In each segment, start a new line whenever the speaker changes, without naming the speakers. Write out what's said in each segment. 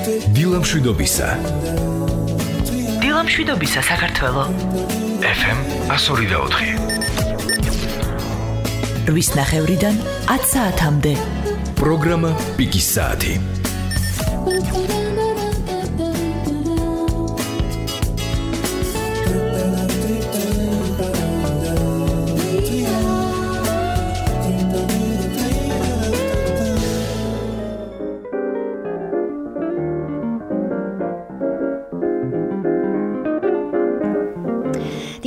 დილამშვიდობისა საქართველო FM 102.4 ვის ნახევრიდან 10 საათამდე პროგრამა პიკის საათი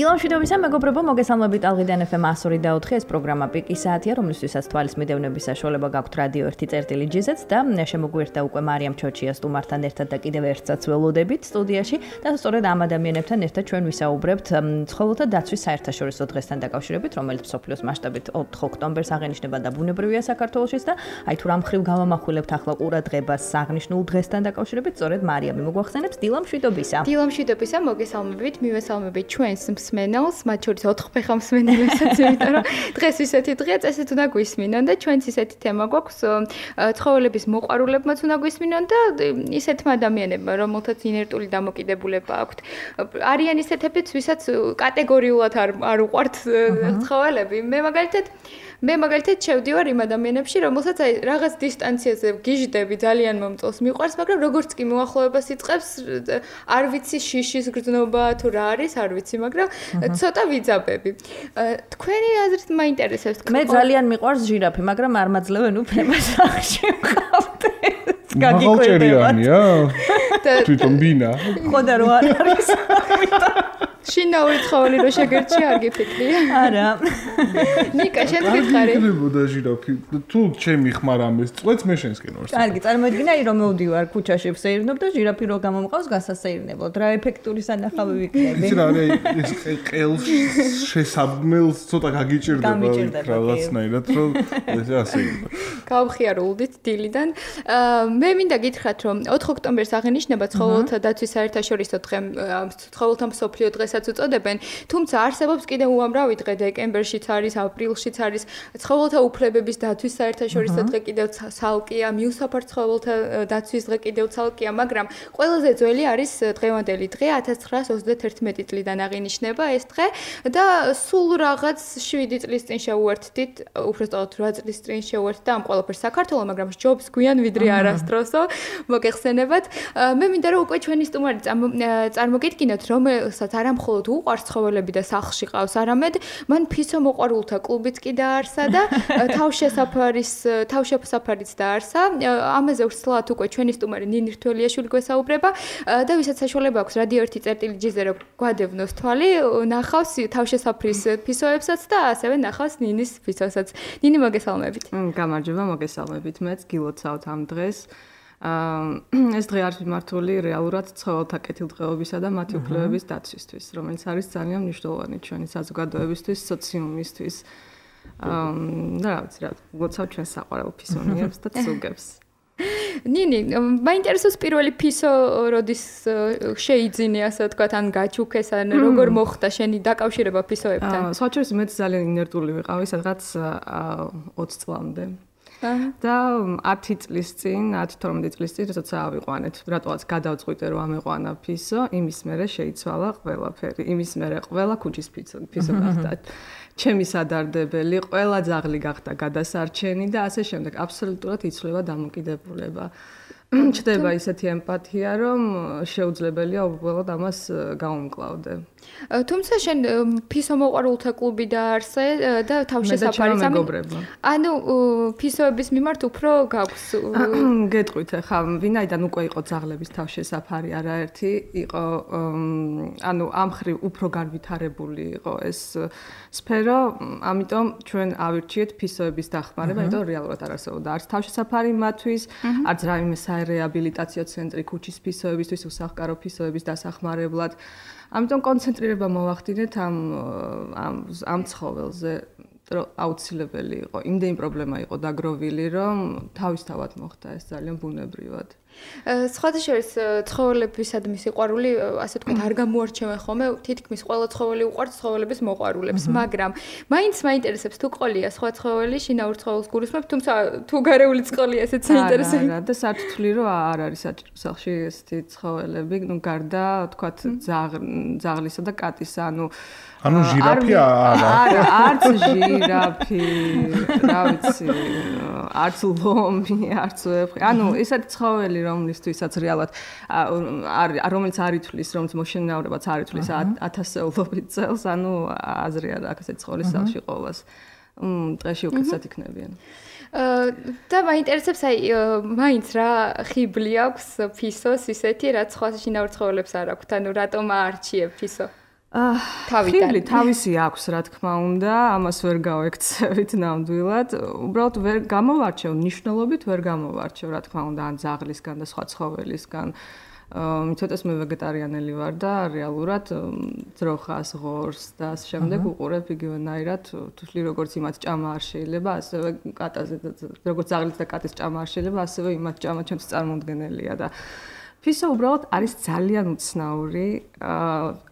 დილამშვიდობისა მეგობრებო, მოგესალმებით ალღიდან FM 102.4 ეს პროგრამა პიკის საათია, რომლისთვისაც თვალის მიდევნების საშუალება გაქვთ რადიო 1.GZ-ს და შემოგვიერთდა უკვე მარიამ ჩოჩია სტუმართან ერთად და კიდევ ერთსაც ველოდებით სტუდიაში და სწორედ ამ ადამიანებთან ერთად ჩვენ ვისაუბრებთ ცხოველთა დაცვის საერთაშორისო დღესთან დაკავშირებით, რომელიც მსოფლიოს მასშტაბით 4 ოქტომბერს აღენიშნება და ბუნებრივია საქართველოშიც და აი თუ რამ ხრივ გავამახვილებთ ახლა ყურადღებას აღნიშნულ დღესთან დაკავშირებით, სწორედ მარიამი მოგვახსენებს დილამშვიდობისა.
დილამშვიდობისა, მოგესალმებით, მივესალმებით ჩვენს მსმენელს, მათ შორის 4 ფეხა მსმენელებსაც, იმიტომ რომ დღეს ისეთი დღეა, წესით უნდა გვისმინონ და ჩვენც ისეთი თემა გვაქვს, ცხოველების მოყვარულებმაც უნდა გვისმინონ და ისეთმა ადამიანებმა, რომელთაც ინერტული დამოკიდებულება აქვთ. არიან ისეთებიც, ვისაც კატეგორიულად არ უყვართ ცხოველები. მე მაგალითად შევდივარ იმ ადამიანებში, რომელსაც აი რაღაც დისტანციაზე გიჟდები ძალიან მომწონს, მიყვარს, მაგრამ როგორც კი მოახლოებას იწყებს, არ ვიცი შიშის გრძნობა თუ რა არის, არ ვიცი, მაგრამ ცოტა ვიძაბები. თქვენი აზრით მაინტერესებს.
მე ძალიან მიყვარს ჟირაფი, მაგრამ არ მაძლევენ უფლებას სახში ვყავდე.
მაღალჭერიანია? თვითონ ბინა.
ხო და რო არ არის.
შინაური ცხოველი რო შეგერჩი არ გიფიქრია?
არა.
ნიკა, შენ გითხარი?
მიგდებოდა ჟირაფი. თუ ჩემი ხმარ ამეს წვეთს მე შენსკენ ვარ.
კარგი, წარმოიდგინე, რომ მოვდივარ ქუჩაში ვსეირნობ და ჟირაფი რო გამომყავს გასასეირნებლად. რა ეფექტური სანახავი ვიქნები?
იცი რა, ეს ყელს შესაბმელს ცოტა გაგიჭირდება რაღაცნაირად, რომ ეს ასე იყო.
გავხიარულდით დილიდან. მე მინდა გითხრათ, რომ 4 ოქტომბერს აღენიშნება ცხოველთა დაცვის საერთაშორისო დღე, ცხოველთა მსოფლიო დღესაც უწოდებენ, თუმცა არსებობს კიდევ უამრავი დღე, დეკემბერშიც არის, აპრილშიც არის, ცხოველთა უფლებების დაცვის საერთაშორისო დღე კიდევ ცალკეა, მიუსაფარ ცხოველთა დაცვის დღე კიდევ ცალკეა, მაგრამ ყველაზე ძველი არის დღევანდელი დღე 1931 წლიდან აღინიშნება ეს დღე და სულ რაღაც 7 წლის წინ შევუერთდით, უბრალოდ 8 წლის წინ შევუერთდა ამ ყველაფერს საქართველოს, მაგრამ ჯობს გვიან ვიდრე არასდროსო, მოგეხსენებათ. მე მინდა რომ უკვე ჩვენი სტუმარი წარმოგიდგინოთ, რომელსაც არა მხოლოდ უყვარს ცხოველები და სახლში ყავს, არამედ მან ფისო მოყვარულთა კლუბიც კი დაარსა და თავშესაფარიც დაარსა. ამაზე ვსვლათ უკვე ჩვენი სტუმარი ნინი რთველიაშვილი გვესაუბრება და ვისაც საშუალება აქვს რადიო 1.GZ-ზე რომ გვადევნოს თვალი, ნახავს თავშესაფრის ფისოებსაც და ასევე ნახავს ნინის ფისოსაც. ნინი, მოგესალმებით.
გამარჯობა, მოგესალმებით. მეც გილოცავთ ამ დღეს. ეს დღე არის მიმართული რეალურად ცხოველთა კეთილდღეობისა და მათი უფლებების დაცვისთვის, რომელიც არის ძალიან მნიშვნელოვანი ჩვენი საზოგადოებისთვის, სოციუმისთვის. და რა ვიცი რა, გლოცავ ჩვენ საყვარელ ფისონიერებს და ცუგებს.
ნინი, მაინტერესებს პირველი ფისო როდის შეიძინე, ასე ვთქვათ, ან გაჩუქეს, ან როგორ მოხდა შენი დაკავშირება ფისოებთან?
სხვაჩვენს მეც ძალიან ინერტული ვიყავი, სადღაც 20 წლამდე. და 10 წლის წინ, 10-12 წლის წინ, როცა ავიყვანეთ, რატოაც გადავწყვიტე რომ ამეყვანა ფისო, იმის მერე შეიცვალა ყველაფერი. იმის მერე ყველა ქუჩის ფისო გახდა. ჩემი სადარდებელი, ყველა ძაღლი გახდა გადასარჩენი და ასე შემდეგ. აბსოლუტურად იცვლება დამოკიდებულება. ჩდება ისეთი ემპათია, რომ შეუძლებელია უბრალოდ ამას გავუმკლავდე.
თუმცა შენ ფისო მოყვარულთა კლუბი დაარსე და თავშესაფარიც ანუ ფისოების მიმართ უფრო გაქვს
გეტყვით ხა ვინაიდან უკვე იყო ძაღლების თავშესაფარი არაერთი იყო ანუ ამხრივ უფრო განვითარებული იყო ეს სფერო ამიტომ ჩვენ ავირჩიეთ ფისოების დახმარება იმიტომ რეალურად არ არსებობდა არც თავშესაფარი მათთვის არც რაიმე საერეაბილიტაციო ცენტრი ქუჩის ფისოებისთვის უსახკარო ფისოების დასახმარებლად ამიტომ კონცენტრირება მოვახდინეთ ამ ცხოველზე რომ აუცილებელი იყო, იმდენი პრობლემა იყო დაგროვილი, რომ თავისთავად მოხდა ეს ძალიან ბუნებრივად.
სხვათა შორის ცხოველებისადმი სიყვარული, ასე ვთქვათ, არ გამოარჩევენ ხოლმე, თითქმის ყველა ცხოველი უყვარს ცხოველების მოყვარულებს, მაგრამ მაინც მაინტერესებს თუ ყოლია სხვა ცხოველი, შინაურ ცხოველს გულისხმობ, თუმცა თუ გარეული წყოლია, ესეც საინტერესოა.
არა, და სათვლი რომ არ არის საჭირო სახლში ესეთი ცხოველები, გარდა ვთქვათ ძაღლისა და კატისა,
ანუ ჟირაფი არა.
არც ჟირაფი, რა ვიცი, არც ლომი, არც ვეფხვი. ანუ ესეთი ცხოველი, რომლისთვისაც რეალად რომელიც არ ითვლის, რომელიც მოშინაურებაც არ ითვლის 1000-ობით წელს, ანუ აზრი არ აქვს ესეთი ცხოველის სახლში ყოველას. დღეში უკეთესად იქნებიან.
და მაინტერესებს მაინც რა ხიბლი აქვს ფისოს ისეთი, რაც სხვა შინაურ ცხოველებს არ აქვს, ანუ რატომ აარჩიებ ფისო?
ხიბლი თავისი აქვს, რა თქმა უნდა, ამას ვერ გავექცევით ნამდვილად. უბრალოდ ვერ გამოვარჩევ, ნიშნულობით ვერ გამოვარჩევ, რა თქმა უნდა, ან ძაღლისგან და სხვა ცხოველისგან. მithotეს მე ვეგეტარიანელი ვარ და რეალურად ძროხას, ღორს და ამ შემდეგ უყურებ იგივენაირად, თვლი როგორც იმათ ჭამა არ შეიძლება, ასევე კატაზე როგორც ძაღლის და კატის ჭამა არ შეიძლება, ასევე იმათ ჭამა ჩემს წარმოუდგენელია და ფისო უბრალოდ არის ძალიან უცნაური,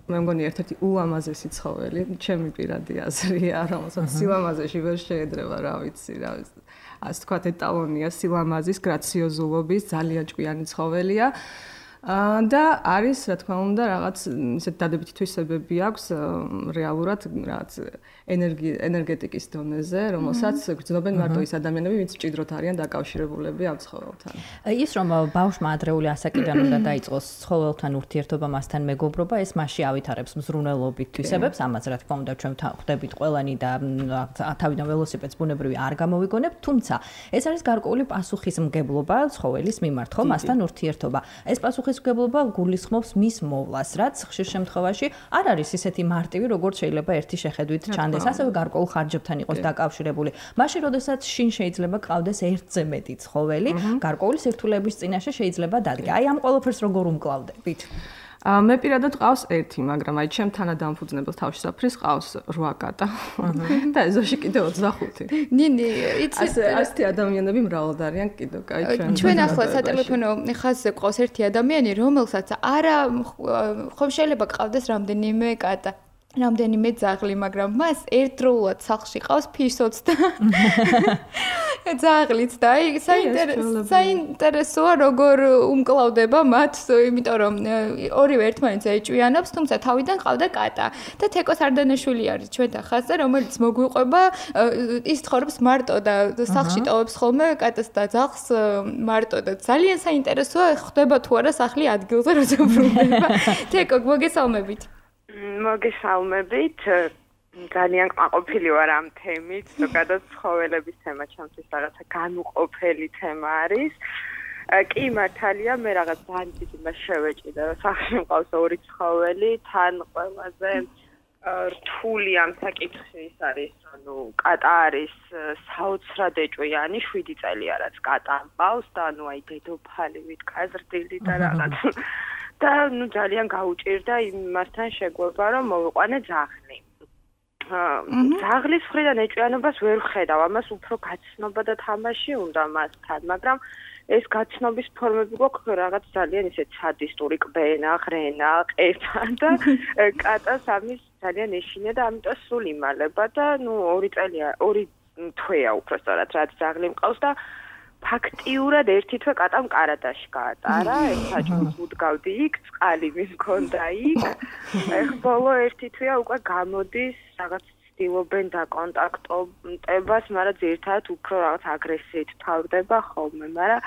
მე მგონი ერთ-ერთი ულამაზესი ცხოველი, ჩემი პირადი აზრია, რომელსაც სილამაზეში ვერ შეედრება, რა ვიცი, ასე თქვათ ეტალონია სილამაზის, გრაციოზულობის, ძალიან ჭკვიანი ცხოველია. და არის, რა თქმა უნდა, რაღაც ისეთ დადებითი თვისებები აქვს რეალურად რაღაც ენერგეტიკის დონეზე, რომელსაც გრძნობენ მარტო ის ადამიანები, ვინც მჭიდროდ არიან დაკავშირებულები ამ ცხოველთან.
ის რომ ბავშვმა ადრეული ასაკიდან უნდა დაიწყოს ცხოველთან ურთიერთობა, მასთან მეგობრობა, ეს მასში ავითარებს მზრუნველობით თვისებებს, ამაც რა თქმა უნდა ჩვენ ხვდებით ყველანი და თავიდან ველოსიპედს ბუნებრივი არ გამოვიგონებთ, თუმცა ეს არის გარკვეული პასუხისმგებლობა ცხოველის მიმართ, ხო, მასთან ურთიერთობა. ეს პასუხისმგებლობა გულისხმობს მის მოვლას, რაც ხშირ შემთხვევაში არ არის ისეთი მარტივი, როგორც შეიძლება ერთი შეხედვით ჩანდეს, ასევე გარკვეულ ხარჯებთან იყოს დაკავშირებული. მაშინ, როდესაც შინ შეიძლება ყავდეს ერთზე მეტი ცხოველი, გარკვეული სირთულეების წინაშე შეიძლება დადგა. აი ამ ყველაფერს როგორ უმკლავდებით?
მე პირადად ყავს ერთი, მაგრამ აი ჩემ თანადამფუძნებელ თავშესაფრის ყავს 8 კატა. და ეზოში კიდევ 25.
ნინი, იცი
ასეთი ადამიანები მრავლად არიან კიდევ, კაი
ჩვენ ახლა სატელეფონო ხაზზე ყავს ერთი ადამიანი, რომელსაც არა ხომ შეიძლება ყავდეს რამდენიმე კატა. რამდენიმე ძაღლი, მაგრამ მას ერთდროულად სახლში ყავს ფისოც და ძაღლიც და აი საინტერესოა როგორ უმკლავდება მათ, იმიტომ რომ ორივე ერთმანეთს ეჭვიანობს, თუმცა თავიდან ყავდა კატა და თეკოს არდანაშვილი არის ჩვენთან ხაზზე, რომელიც მოგვიყვება, ის ცხოვრობს მარტო და სახლში ტოვებს ხოლმე კატას და ძაღლს მარტო და ძალიან საინტერესოა, ხდება თუ არა სახლი ადგილზე როცა ბრუნდება. თეკო, მოგესალმებით.
მოგესალმებით. ძალიან კმაყოფილი ვარ ამ თემით, ზოგადად ცხოველების თემა ჩემთვის რაღაცა განუყოფელი თემა არის. კი მართალია, მე რაღაც ძალიან დიდი მას შევეჭიდა, რომ სახლში მყავს 2 ცხოველი, თან ყველაზე რთული ამ საკითხში ის არის, ანუ კატა არის საოცრად ეჭვიანი, 7 წელია რაც კატა მყავს და ანუ აი დედოფალივით გაზრდილი და რაღაც და ძალიან გაუჭირდა იმასთან შეგვება, რომ მოვიყვანე ძაღლი. ძაღლის მხრიდან ეჭვიანობას ვერ ვხედავ, ამას უფრო გაცნობა და თამაში უნდა მასთან, მაგრამ ეს გაცნობის ფორმები გვაქვს რაღაც ძალიან ისეთ სადისტური კბენა, ღრენა, ყეფა და კატას ამის ძალიან ეშინია და ამიტომ სულ იმალება და 2 წელია, 2 თვეა უბრალოდ რაც ძაღლი მყავს და ფაქტიურად ერთი თვე კატამ კარადაში გაატარა, საჭმელს უდგავდი იქ, წყალი მქონდა იქ. ეხლა ბოლო ერთი თვეა უკვე გამოდის, რაღაც ცდილობენ დაკონტაქტებას, მაგრამ ძირთადად უფრო რაღაც აგრესიით თავდება ხოლმე, მაგრამ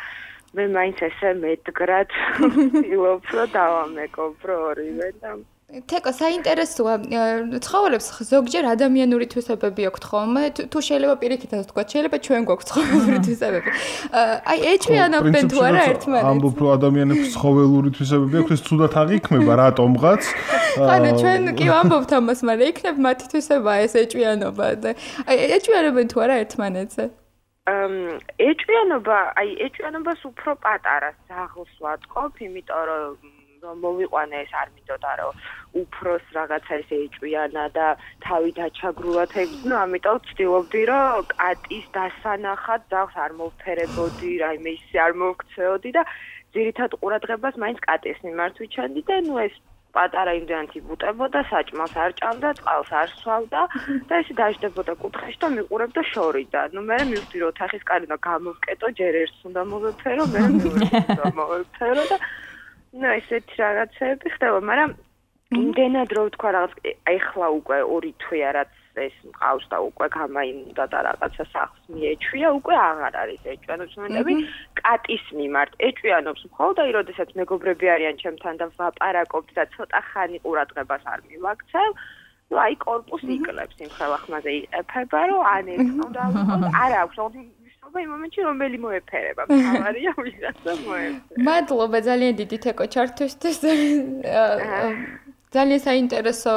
მე მაინც ესე მედგრად ვცდილობ, რომ დავამეგობრო ორივე და
თეკო, საინტერესოა, ცხოველებს ზოგჯერ ადამიანური თვისებები აქვთ ხოლმე, თუ შეიძლება პირიქითაც ვთქვა, შეიძლება ჩვენ გვაქვს ცხოველური თვისებები. აი, ეჭვიანობენ თუ არა ერთმანეთს?
ამბობ, რომ ადამიანებს ცხოველური თვისებები აქვს, ეს ცუდად აღიქმება, რატომღაც?
ანუ ჩვენ კი ვამბობთ ამას, მაგრამ იქნებ მათი თვისებაა ეს ეჭვიანობა და აი, ეჭვიანობენ თუ არა ერთმანეთზე?
ეჭვიანობას უფრო პატარა ძაღლს ვატყობ, იმიტომ რომ რომ მოვიყვანე ეს არ მინდოდა რომ უფროს რაღაცა ესე ეჭვიანა და თავი დაჩაგრულად ეგ ამიტომ ვცდილობდი რომ კატის დასანახად ძაღლს არ მოვფერებოდი რაიმე ისე არ მოვქცეოდი და ძირითად ყურადღებას მაინც კატის მიმართ ვიჩენდი და ეს პატარა იმდენად იბუტებოდა, საჭმელს არ ჭამდა, წყალს არ სვავდა და ესე დაждდებოდა კუთხეში და მიყურებდა შორიდან. მე მივხვდი რომ ოთახის კარი და გამოვკეტო, ჯერ ერთს უნდა მოვეფერო, მე მეორეს უნდა მოვეფერო და ესეთი რაღაცები ხდება, მაგრამ იმდენად რომ თქვა რაღაც ეხლა უკვე 2 თვეა რაც ეს მყავს და უკვე გამაიმუნდა და რაღაცა სახს მიეჩვია, უკვე აღარ არის ეჭვიანობს მომენტები კატის მიმართ. ეჭვიანობს მხოლოდ აი როდესაც მეგობრები არიან ჩემთან და ვაპარაკობთ და ცოტა ხანი ყურადღებას არ მივაქცევ, აი კორპუსი იკლებს იმ ხელახმაზე იყეფება, რომ ან ეს უნდა ვიყოთ, არ აქვს იმ მომენტში რომელი მოეფერება, მთავარია ვიღაცა მოეფერება.
მადლობა ძალიან დიდი თეკო ჩართვისთვის. ძალიან საინტერესო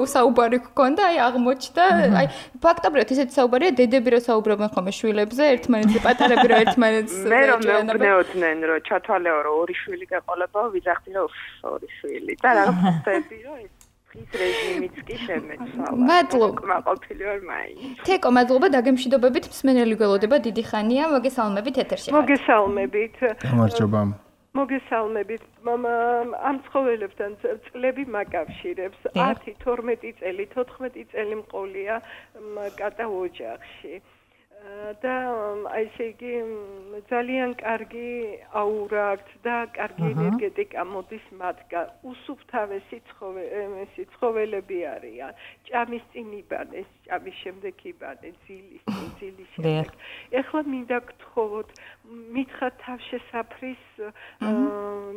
საუბარი გქონდა, აი აღმოჩნდა, აი ფაქტობრივად ესეთი საუბარია, დედები რო საუბრობენ ხოლმე შვილებზე, ერთმანეთზე პატარები რო ერთმანეთს
მე რომ მეუბნეოდნენ, რომ ჩათვალეო რომ 2 შვილი გაყოლებაო, ვიძახდი რომ 2 შვილი და რა ხდება რომ ეს ის რეჟიმიც კი შემეცვალა.
მადლობა.
მაყოფილი ვარ მაინც.
თეკო, მადლობა დაგემშვიდობებით, მსმენელი გველოდება, დიდი ხანია, მოგესალმებით ეთერში.
მოგესალმებით.
გამარჯობა.
მოგესალმებით. ამ ცხოველებთან წლები მაკავშირებს. 10, 12 წელი, 14 წელი მყოლია კატა ოჯახში. და აი ესე იგი ძალიან კარგი აურა აქვს და კარგი ენერგეტიკა მოდის მათგან. უსუფთავესი ცხოველები არიან. ჭამის წინ იბადეს, ჭამის შემდეგ იბადეს, ძილის შემდეგ. ეხლა მინდა გთხოვოთ, მითხრათ თავშესაფრის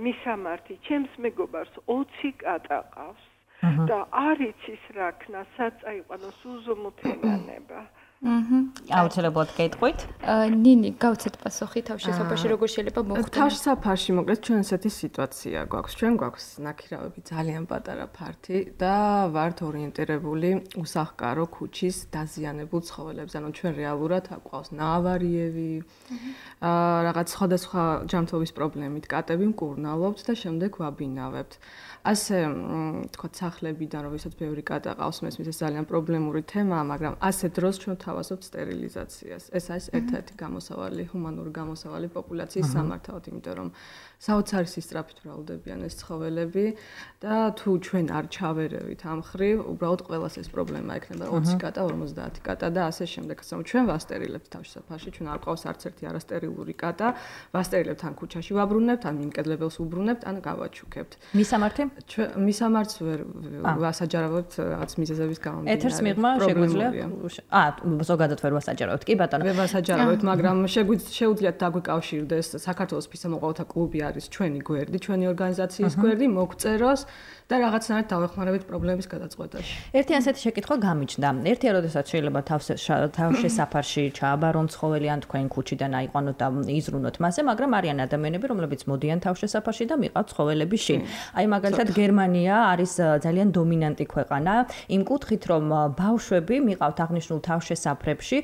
მისამართი. ჩემს მეგობარს 20 კატა ყავს და არ იცის რა ქნა, სად წაიყვანოს უზომოთელანება.
აუცილებლად გეტყვით.
ნინი, გავცეთ პასუხი თავშესაფარში როგორ შეიძლება მოხდეს?
თავშესაფარში მოკლედ ჩვენ ესეთი სიტუაცია გვაქვს. ჩვენ გვაქვს ნაქირავები ძალიან პატარა ფართი და ვართ ორიენტირებული უსახკარო ქუჩის დაზიანებულ ცხოველებზე. ანუ ჩვენ რეალურად აყვავს ნაავარიები, რაღაც სხვადასხვა ჯანმრთელობის პრობლემით კატები მკურნალობთ და შემდეგ ვაბინავებთ. ასე თქვა სახლებიდან რომ ვისაც ბევრი კატა ყავს, მესმის ეს ძალიან პრობლემური თემაა, მაგრამ ასე დროს ჩვენ თავაზობთ სტერილიზაციას. ეს არის ერთ-ერთი გამოსავალი, ჰუმანური გამოსავალი პოპულაციის სამართავად, იმიტომ რომ საოცარი სისწრაფით მრავლდებიან ეს ცხოველები და თუ ჩვენ არ ჩავერევით ამ ხრივ, უბრალოდ ყველას ეს პრობლემა ექნება 20 კატა, 50 კატა და ასე შემდეგ. ასე რომ ჩვენ ვასტერილებთ თავშესაფარში, ჩვენ არ ყავს არც ერთი არასტერილური კატა, ვასტერილებთ ან ქუჩაში ვაბრუნებთ, ან მიმკედლებელს უბრუნებთ, ან გავაჩუქებთ.
მისამართი?
მისამართს ვერ ვასაჯარავებთ რაღაც მიზეზების გამო.
ეთერს მიღმა შეგვიძლია? ზოგადად ვერ ვასაჯარავებთ, კი ბატონო.
ვერ ვასაჯარავებთ, მაგრამ შეუძლიათ დაგვიკავშირდეს საქართველოს ფისამოყვავილთა კლუბი არის ჩვენი გვერდი, ჩვენი ორგანიზაციის გვერდი, მოგწეროს და რაღაცნაირად დავეხმარებით პრობლემის გადაწყვეტაში.
ერთი ასეთი შეკითხვა გამიჩნდა. ერთია, როდესაც შეიძლება თავშესაფარში ჩააბარონ ცხოველი ან თქვენ ქუჩიდან აიყვანოთ და იზრუნოთ მასზე, მაგრამ არიან ადამიანები, რომლებიც მოდიან თავშესაფარში და მიყავთ ცხოველები შინ. აი მაგალითად გერმანია არის ძალიან დომინანტი ქვეყანა იმ კუთხით, რომ ბავშვები მიყავთ აღნიშნულ თავშესაფრებში,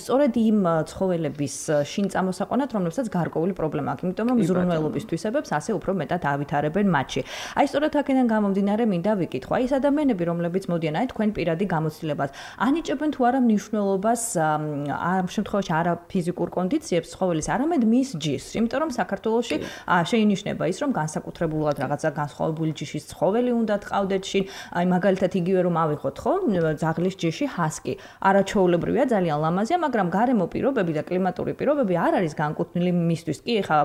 სწორედ იმ ცხოველების შინ წამოსაყვანად, რომლებსაც გარკვეული პრობლემა აქვს, იმიტომ რომ ზრუნველობის თვისებებს ასე უფრო მეტად ავითარებენ მათში. აი სწორედ აქედან გამომდინარე მინდა ვიკითხო, აი ეს ადამიანები, რომლებიც მოდიან აი თქვენ პირადი გამოცდილებას, ანიჭებენ თუ არა მნიშვნელობას ამ შემთხვევაში არა ფიზიკურ კონდიციებს ცხოველის, არამედ მის ჯიშს, იმიტომ რომ საქართველოში შეინიშნება ის, რომ განსაკუთრებულად რაღაცა განსხვავებული ჯიშის ცხოველი უნდა თყავდეთ შინ, აი მაგალითად იგივე რომ ავიღოთ ხო, ძაღლის ჯიში ჰასკი. არაჩვეულებრივია, ძალიან ლამაზია, მაგრამ გარემო პირობები და კლიმატური პირობები არ არის განკუთვნილი მისთვის. კი, ხა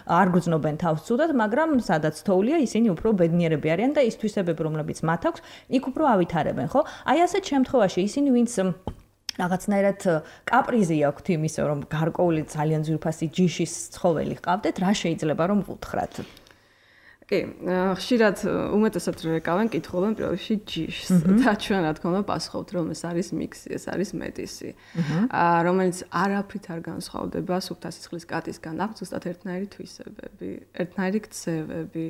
არ გრძნობენ თავს ცუდად, მაგრამ სადაც თოვლია, ისინი უფრო ბედნიერები არიან და ის თვისებები, რომლებიც მათ აქვს, იქ უფრო ავითარებენ, ხო? აი ასეთ შემთხვევაში ისინი ვინც რაღაცნაირად კაპრიზი აქვთ იმისო, რომ გარკვეული ძალიან ძვირფასი ჯიშის ცხოველი ჰყავდეთ, რა შეიძლება რომ ვუთხრათ?
კი, ხშირად უმეტესად რეკავენ, კითხულობენ პირველში ჯიშს და ჩვენ რა თქმა უნდა პასუხობთ, რომ ეს არის მიქსი, ეს არის მეტისი, რომელიც არაფრით არ განსხვავდება სუფთასისხლის კატისგან, აქვს ზუსტად ერთნაირი თვისებები, ერთნაირი ქცევები.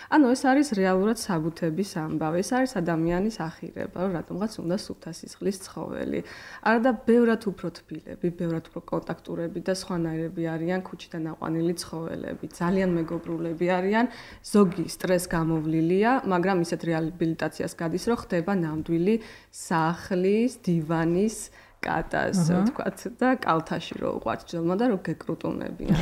ანუ ეს არის რეალურად საბუთების ამბავი, ეს არის ადამიანის ახირება, რომ რატომღაც უნდა სუფთასისხლის ცხოველი. არა და ბევრად უფრო თბილები, ბევრად უფრო კონტაქტურები და სხვანაირები არიან ქუჩიდან აყვანილი ცხოველები, ძალიან მეგობრულები არიან. ზოგი სტრეს გამოვლილია, მაგრამ ისეთ რეაბილიტაციას გადის, რომ ხდება ნამდვილი სახლის, დივანის კატას, ვთქვათ, და კალთაში რო უყვართ ჯელმა და რო გეკრუტუნებიან.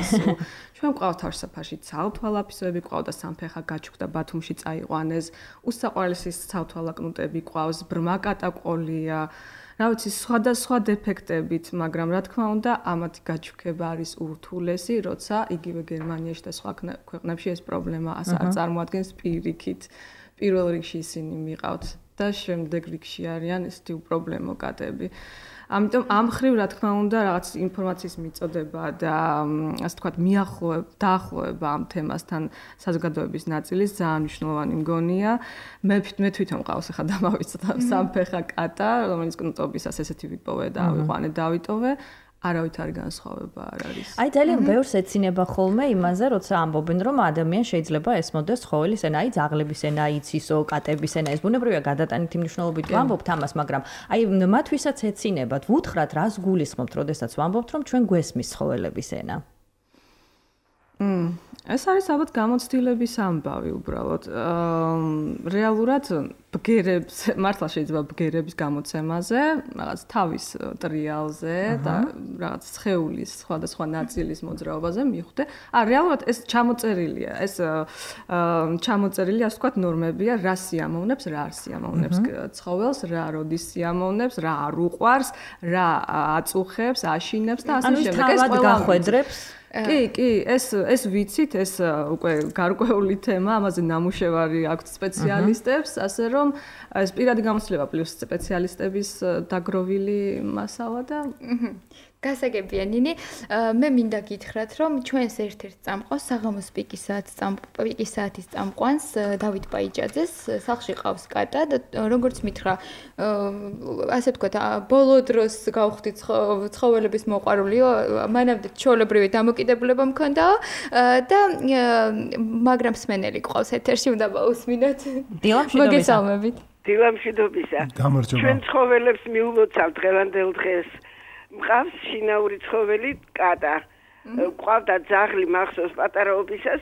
ჩვენ გვყავთ თავშესაფარში ცალთვალაფისოები, გვყავდა სამფეხა გაჩუქდა ბათუმში წაიყვანეს, უსაყვარლესი ცალთვალა კნუტები გვყავს, ბრმა კატა ყოლია. რა ვიცი, სხვადასხვა დეფექტებით, მაგრამ რა თქმა უნდა, ამათი გაჩუქება არის ურთულესი, როცა იგივე გერმანიაში და სხვა ქვეყნებში ეს პრობლემა არ წარმოადგენს პირიქით. პირველ რიგში ისინი მიყავთ და შემდეგ რიგში არიან ესეთი უპრობლემო კატები. ამიტომ ამ ხრივ რა თქმა უნდა რაღაც ინფორმაციის მიწოდება და ასე ვთქვათ დაახლოება ამ თემასთან საზოგადოების ნაწილის ძალიან მნიშვნელოვანი მგონია. მე თვითონ მყავს ახლა დამავიწყდა სამფეხა კატა, რომელიც კნუტობისას ესეთი ვიპოვე და ავიყვანე დავიტოვე. არავით არ განსხვავება არ არის.
აი ძალიან ბევრს ეცინება ხოლმე იმაზე, როცა ამბობენ, რომ ადამიანს შეიძლება ესმოდეს ცხოველის ენა, აი ძაღლების ენა, იცისო, კატების ენა. ეს ბუნებრივია გადატანითი მნიშვნელობით ვამბობთ ამას, მაგრამ აი მათ ვისაც ეცინებათ, ვუთხრათ რას გულისხმობთ, როდესაც ვამბობთ, რომ ჩვენ გვესმის ცხოველების ენა.
ეს არის ალბათ გამოცდილების ამბავი უბრალოდ. რეალურად ბგერებს, მართლა შეიძლება ბგერების გამოცემაზე, რაღაც თავის ტრიალზე და რაღაც სხეულის სხვადასხვა ნაწილის მოძრაობაზე მიხვდე. რეალურად ეს ჩამოწერილია, ეს ჩამოწერილი, ასე ვთქვათ, ნორმებია, რა სიამოვნებს, რა არ სიამოვნებს ცხოველს, რა როდის სიამოვნებს, რა არ უყვარს, რა აწუხებს, აშინებს და ასე შემდეგ.
ეს ყველა გახვედრებს
კი, ეს ვიცით, ეს უკვე გარკვეული თემა, ამაზე ნამუშევარი აქვს სპეციალისტებს, ასე რომ ეს პირადი გამოცდილება პლუს სპეციალისტების დაგროვილი მასალა და
გასაგებია ნინი, მე მინდა გითხრათ, რომ ჩვენს ერთ-ერთ წამყვანს საღამოს პიკის საათის წამყვანს დავით პაიჭაძეს სახლში ყავს კატა და როგორც მითხრა, ასე ვთქვათ, ბოლო დროს გავხდით ცხოველების მოყვარულიო, მანამდე ჩვეულებრივი დამოკიდებულება მქონდაო და მაგრამ სმენელი ყავს ეთერში, უნდა მოусმინოთ. მოგესალმებით.
დილამშვიდობისა. ჩვენ ცხოველებს მიულოცავთ დღევანდელ დღეს. მყავს შინაური ცხოველი კატა. გვყავდა ძაღლი მახსოვს პატარაობისას,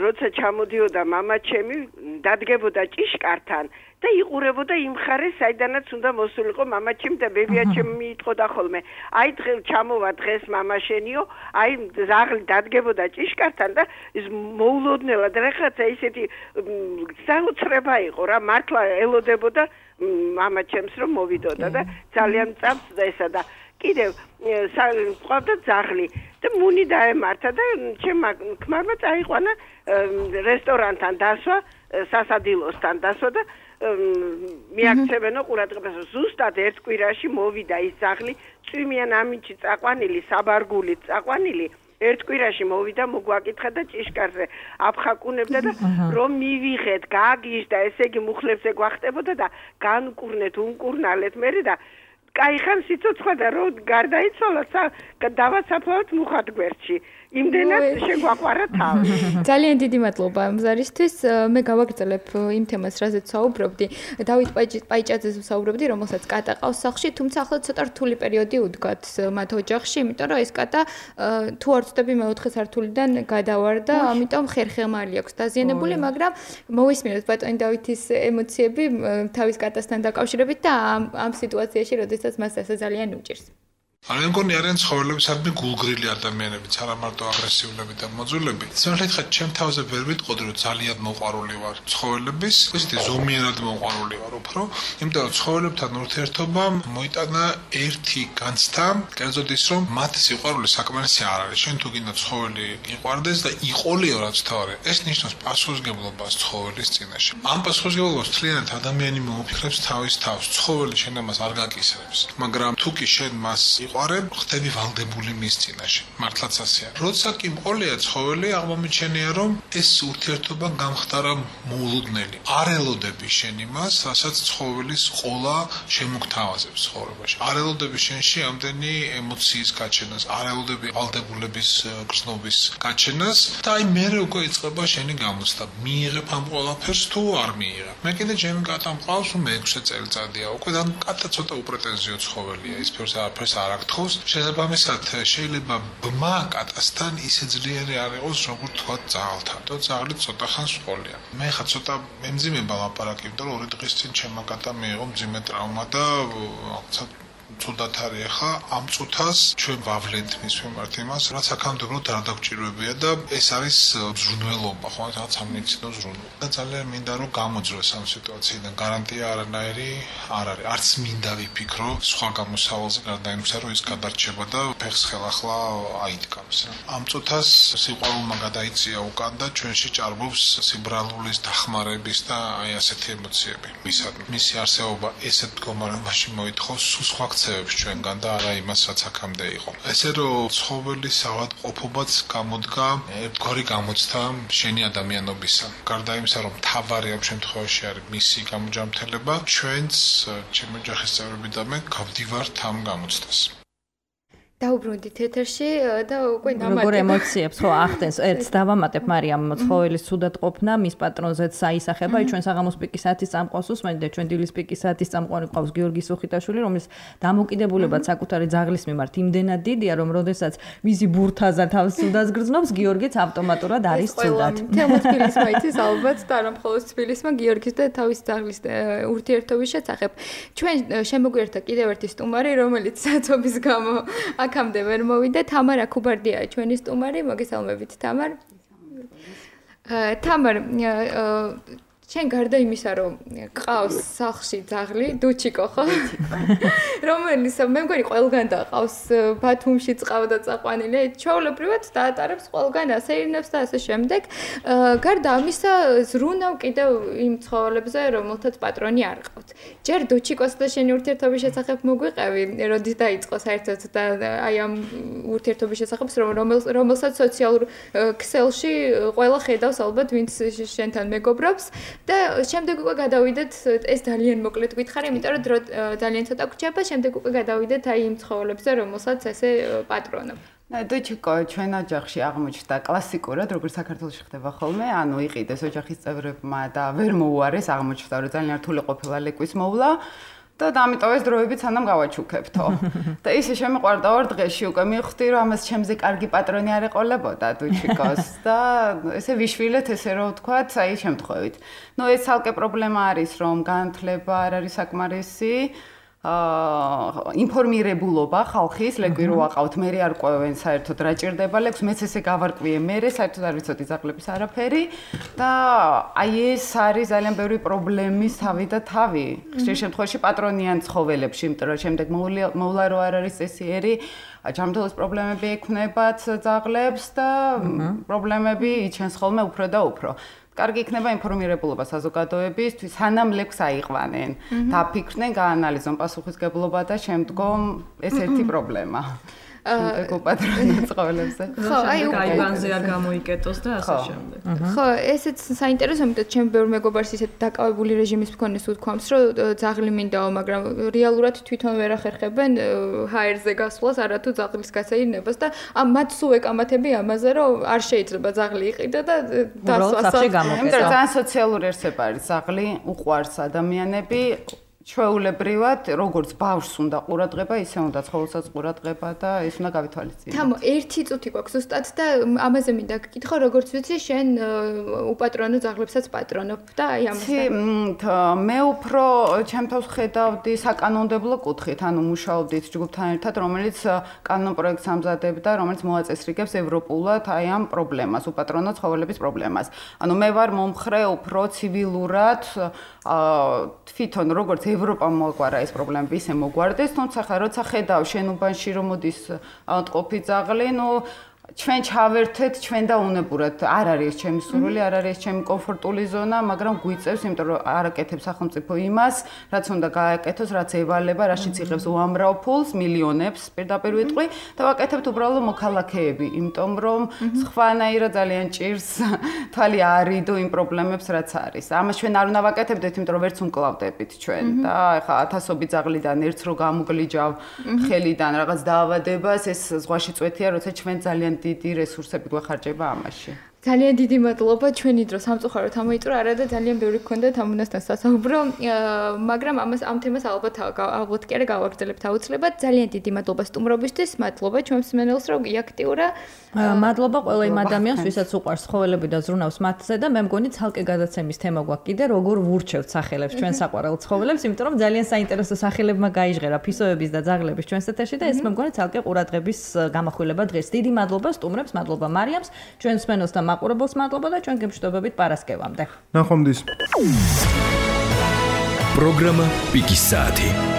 როცა ჩამოდიოდა მამაჩემი, დადგებოდა ჭიშკართან და იყურებოდა იმ ხარეს, საიდანაც უნდა მოსულიყო მამაჩემი და ბებიაჩემი მიიტყოდა ხოლმე. აი ჩამოვა დღეს მამაშენიო, აი ძაღლი დადგებოდა ჭიშკართან და ის მოულოდნელად რაღაცა ისეთი საოცრება იყო რა, მართლა ელოდებოდა მამაჩემს რომ მოვიდოდა და ძალიან წამსდა ესა და კიდევ ყავდა ძაღლი და მუნი დაემართა და ჩემმა ქმარმა წაიყვანა რესტორანთან დასვა, სასადილოსთან დასვა და მიაქცევენო ყურადღებას. ზუსტად ერთ კვირაში მოვიდა ის ძაღლი, წვიმიან ამინჩი წაყვანილი, საბარგულით წაყვანილი. ერთ კვირაში მოვიდა, მოგვაკითხა და ჭიშკარზე აფხაკუნებდა და რომ მივიღეთ, გაგიჟდა, ესე იგი მუხლებზე გვახტებოდა და განკურნეთ, უნკურნალეთ მერე და კაიხან სიცოცხლა და რო გარდაიცვალა დავაცაფლავთ მუხად გვერდში. იმდენად შეგვაყვარა თავი.
ძალიან დიდი მადლობა მზარისთვის. მე გავაგრძელებ იმ თემას, რაზეც საუბრობდი. დავით პაიჭაძეს ვსაუბრობდი, რომელსაც კატა ყავს სახლში, თუმცა ახლა ცოტა რთული პერიოდი უდგათ მათ ოჯახში, იმიტომ რომ ეს კატა თუ არ ვწდები მეოთხე სართულიდან გადავარდა, ამიტომ ხერხემალი აქვს დაზიანებული, მაგრამ მოვისმინოთ ბატონი დავითის ემოციები თავის კატასთან დაკავშირებით და ამ სიტუაციაში, როდესაც მას ასე ძალიან უჭირს.
მე მგონი არიან ცხოველებისადმი გულგრილი ადამიანებიც, არა მარტო აგრესიულები და მოძულები. სიმართლე ჩემ თავზე ვერ ვიტყოდი, რომ ძალიან მოყვარული ვარ ცხოველების, ისეთი ზომიერად მოყვარული ვარ უფრო, იმიტომ რომ ცხოველებთან ურთიერთობა მოიტანა ერთი განცდა, კერძოდ ის რომ მათ სიყვარული საკმარისი არ არის. შენ თუ გინდა ცხოველი იყვარდეს და იყოლიო რაც თავი. ეს ნიშნავს პასუხისმგებლობას ცხოველის წინაშე. ამ პასუხისმგებლობას მთლიანად ადამიანი მოუფიქრებს თავის თავს. ცხოველი შენ ამას არ გაკისრებს, მაგრამ თუ კი შენ მას ხდები ვალდებული მის წინაშე. მართლაც ასეა. როცა კი მყოლია ცხოველი, აღმომიჩენია რომ ეს ურთიერთობა გამხდარა მოულოდნელი. არ ელოდები შენ იმას, რასაც ცხოველის ყოლა შემოგთავაზებს ცხოვრებაში. არ ელოდები შენში ამდენი ემოციის გაჩენას, არ ელოდები ვალდებულების გრძნობის გაჩენას და აი მერე უკვე იწყება შენი გამოცდა. მიიღებ ამ ყველაფერს თუ არ მიიღებ. მე კიდე ჩემი კატა მყავს, მე 6 წელიწადია. უკვე და კატა ცოტა უპრეტენზიო ცხოველია. ის ფერს არაფერს არ გაგთხოვს. შესაბამისად, შეიძლება ბმა კატასთან ისე ძლიერი არ იყოს, როგორც თქვა ძაღლთან. და ძაღლი ცოტა ხანს ყოლია. მე ხა ცოტა მემძიმება ლაპარაკი, იმიტომ რომ 2 დღის წინ ჩემმა კატამ მიიღო მძიმე ტრავმა და ცუდად არის ახლა ამ წუთას ჩვენ ვავლენთ მის მიმართ იმას, რაც აქამდეურად არ დაგჭირვებია და ეს არის ზრუნველობა, ხო, რაღაც სამნიცინო ზრუნვა. და ძალიან მინდა რომ გამოძროს ამ სიტუაციიდან გარანტია არანაირი არ არის. არც მინდა ვიფიქრო სხვა გამოსავალზე გარდა იმისა, რომ ის გადარჩება და ფეხს ხელახლა აიდგამს. ამ წუთას სიყვარულმა გადაიწია უკან და ჩვენში ჭარბობს სიბრალულის დახმარების და აი ასეთი ემოციები. მისი არსებობა ესეთ მდგომარეობაში მოითხოვს სხვა ქცევებს ჩვენგან და არა იმას, რაც აქამდე იყო. ესე რომ ცხოველის ავადმყოფობაც გამოდგა ერთგვარი გამოცდა შენი ადამიანობისა. გარდა იმისა, რომ თავარი ამ შემთხვევაში არის მისი გამოჯამთელება, ჩვენც ჩემი ოჯახის წევრები და მე გავდივართ ამ გამოცდას.
დაუბრუნდით ეთერში და უკვე დამატებ.
როგორ ემოციებს ხო ახდენს? ერთს დავამატებ მარიამ ცხოველის ცუდად ყოფნა, მის პატრონზეც საისახება, ჩვენ საღამოს პიკის საათის წამყვანს უსმენთ და ჩვენ დილის პიკის საათის წამყვანი ყავს გიორგი სუხიტაშვილი, რომლის დამოკიდებულებაც საკუთარი ძაღლის მიმართ იმდენად დიდია, რომ როდესაც მისი ბურთაზა თავს ცუდას გრძნობს, გიორგიც ავტომატურად არის ცუდად.
თემოთ თბილისმა იცის ალბათ და არა მხოლოდ თბილისმა გიორგის და თავის ძაღლის ურთიერთობის შესახებ. ჩვენ შემოგვიერთდა კიდევ ერთი სტუმარი, რომელიც საწობის გამო აქამდე ვერ მოვიდა. თამარა ქუბარდიაა ჩვენი სტუმარი. მოგესალმებით თამარ. თამარ, შენ გარდა იმისა, რომ ყავს სახლში ძაღლი, დუჩიკო ხო? რომელიც მე მგონი ყველგან დაყავს, ბათუმში წყავდა წაყვანილი, ჩვეულებრივად დაატარებს ყველგან ასეირნებს და ასე შემდეგ. გარდა ამისა, ზრუნავ კიდევ იმ ცხოველებზე, რომელთაც პატრონი არ ყავთ. ჯერ დუჩიკოს და შენი ურთიერთობის შესახებ მოგვიყევი, როდის დაიწყო საერთოდ და აი ამ ურთიერთობის შესახებ, რომელსაც სოციალურ ქსელში ყველა ხედავს ალბათ, ვინც შენთან მეგობრობს. და შემდეგ უკვე გადავიდეთ, ეს ძალიან მოკლედ გითხარი, იმიტომ რომ ძალიან ცოტა გვჭირდება, შემდეგ უკვე გადავიდეთ აი იმ ცხოველებზე, რომელსაც ესე პატრონობ.
დუჩიკო ჩვენ ოჯახში აღმოჩნდა კლასიკურად, როგორც საქართველოში ხდება ხოლმე, ანუ იყიდეს ოჯახის წევრებმა და ვერ მოუარეს, აღმოჩნდა რომ ძალიან რთული ყოფილა ლეკვის მოვლა. და ამიტომ ეს დროებით სანამ გავაჩუქებთო. და ისე შემიყვარდა 2 დღეში უკვე მივხვდი რომ ამას ჩემზე კარგი პატრონი არ ეყოლებოდა დუჩიკოს და ესე ვიშვილეთ ესე რომ ვთქვათ, აი შემთხვევით. ნუ ეს ცალკე პრობლემა არის რომ განათლება არ არის საკმარისი. ინფორმირებულობა ხალხის ლეკვი რო აყავთ, მე არ ყვევენ საერთოდ რა ჭირდება ლეკვს, მეც ესე გავარკვიე მე საერთოდ არ ვიცოდი ძაღლების არაფერი და აი ეს არის ძალიან ბევრი პრობლემის თავი და თავი. ხშირ შემთხვევაში პატრონიან ცხოველებში, იმიტომ რომ შემდეგ მოვლა რო არ არის წესიერი, ჯანმრთელობის პრობლემები ექნებათ ძაღლებს და პრობლემები იჩენს ხოლმე უფრო და უფრო. კარგი იქნება ინფორმირებულობა საზოგადოებისთვის, სანამ ლეკვს აიყვანენ, დაფიქრდნენ, გაანალიზონ პასუხისგებლობა და შემდგომ ეს ერთი პრობლემა. პატრონი ცხოველებზე.
ხო, აი გაიგანზე არ გამოიკეტოს და ასე შემდეგ.
ხო, ესეც საინტერესო, იმიტომ ჩემ ბევრ მეგობარს ისეთ დაკავებული რეჟიმის მქონეს უთქვამს, რომ ძაღლი მინდაო, მაგრამ რეალურად თვითონ ვერ ახერხებენ ჰაერზე გასვლას, არათუ ძაღლის გასაირნებას და მათ სულ ეკამათები ამაზე, რომ არ შეიძლება ძაღლი იყიდა და დასვას.
იმიტომ რომ ძალიან სოციალური არსება არის ძაღლი, უყვარს ადამიანები. ჩვეულებრივად, როგორც ბავშვს უნდა ყურადღება, ისე უნდა ცხოველსაც ყურადღება და ეს უნდა გავითვალისწინოთ.
თამო, ერთი წუთი გვაქვს ზუსტად და ამაზე მინდა გკითხო, როგორც ვიცი, შენ უპატრონო ძაღლებსაც პატრონობ და აი ამასთან.
მე უფრო ჩემთავს ხედავდი საკანონმდებლო კუთხით, ანუ მუშაობდით ჯგუფთან ერთად, რომელიც კანონ პროექტს ამზადებდა, რომელიც მოაწესრიგებს ევროპულად აი ამ პრობლემას, უპატრონო ცხოველების პრობლემას. ანუ მე ვარ მომხრე უფრო ცივილურად, თვითონ როგორც ევროპამ მოაგვარა ეს პრობლემები, ისე მოგვარდეს, თუმცა ხა როცა ხედავ შენობაში რომ მოდის ავადმყოფი ძაღლი, ნუ ჩვენ ჩავერთეთ, ჩვენ და უნებურად არ არის ჩემი სურვილი, არ არის ჩემი კომფორტული ზონა, მაგრამ გვიწევს, იმიტომ რომ არ აკეთებს სახელმწიფო იმას, რაც უნდა გააკეთოს, რაც ევალება, რაშიც იღებს უამრავ ფულს, მილიონებს, პირდაპირ ვიტყვი და ვაკეთებთ უბრალოდ მოქალაქეები, იმიტომ რომ სხვანაირად ძალიან ჭირს თვალი არიდო იმ პრობლემებს, რაც არის. ამას ჩვენ არ უნდა ვაკეთებდეთ, იმიტომ რომ ვერც უმკლავდებით ჩვენ და ეხლა ათასობით ძაღლიდან ერთს რო გამოგლიჯავ ხელიდან რაღაც დაავადებას, ეს ზღვაში წვეთია, როცა ჩვენ ძალიან დიდი რესურსები გვეხარჯება ამაში.
ძალიან დიდი მადლობა ჩვენი დრო სამწუხაროდ ამოიწურა არა და ძალიან ბევრი გქონდათ ამ უნასთან სასაუბრო მაგრამ ამ თემას ალბათ კი არა გავაგრძელებთ აუცილებლად ძალიან დიდი მადლობა სტუმრობისთვის მადლობა ჩვენს მსმენელს რომ აქტიურა
მადლობა ყველა იმ ადამიანს ვისაც უყვარს ცხოველები და ზრუნავს მათზე და მე მგონი ცალკე გადაცემის თემა გვაქვს კიდე როგორ ვურჩევთ სახელებს ჩვენ საყვარელ ცხოველებს იმიტომ რომ ძალიან საინტერესო სახელებმა გაიჟღერა ფისოების და ძაღლების ჩვენს ეთერში და ეს მე მგონი ცალკე ყურადღების გამახვილება დღეს დიდი მადლობა სტუმრებს მადლობა მარიამს ჩვენს მსმენელს მაყურებელს მადლობა და ჩვენ გემშვიდობებით პარასკევამდე.
ნახვამდის.
პროგრამა პიკის საათი.